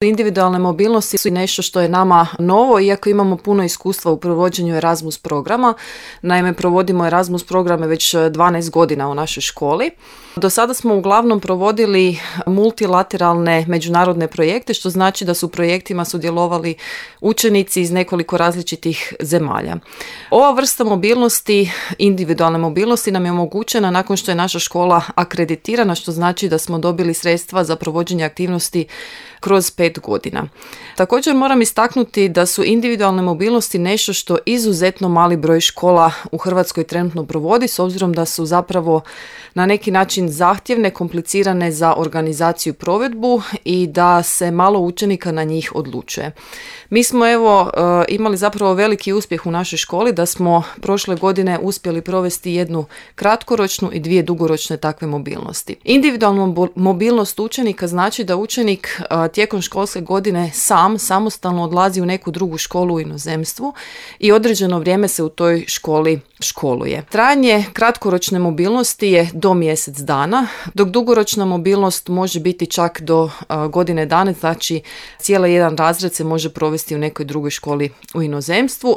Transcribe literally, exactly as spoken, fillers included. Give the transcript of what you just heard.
Individualne mobilnosti su nešto što je nama novo, iako imamo puno iskustva u provođenju Erasmus programa. Naime, provodimo Erasmus programe već dvanaest godina u našoj školi. Do sada smo uglavnom provodili multilateralne međunarodne projekte, što znači da su u projektima sudjelovali učenici iz nekoliko različitih zemalja. Ova vrsta mobilnosti, individualne mobilnosti, nam je omogućena nakon što je naša škola akreditirana, što znači da smo dobili sredstva za provođenje aktivnosti kroz pet godina. Također moram istaknuti da su individualne mobilnosti nešto što izuzetno mali broj škola u Hrvatskoj trenutno provodi, s obzirom da su zapravo na neki način zahtjevne, komplicirane za organizaciju i provedbu i da se malo učenika na njih odlučuje. Mi smo evo imali zapravo veliki uspjeh u našoj školi da smo prošle godine uspjeli provesti jednu kratkoročnu i dvije dugoročne takve mobilnosti. Individualna mobilnost učenika znači da učenik tijekom školske godine sam samostalno odlazi u neku drugu školu u inozemstvu i određeno vrijeme se u toj školi školuje. Trajanje kratkoročne mobilnosti je do mjesec dana, dok dugoročna mobilnost može biti čak do uh, godine dana, znači cijeli jedan razred se može provesti u nekoj drugoj školi u inozemstvu.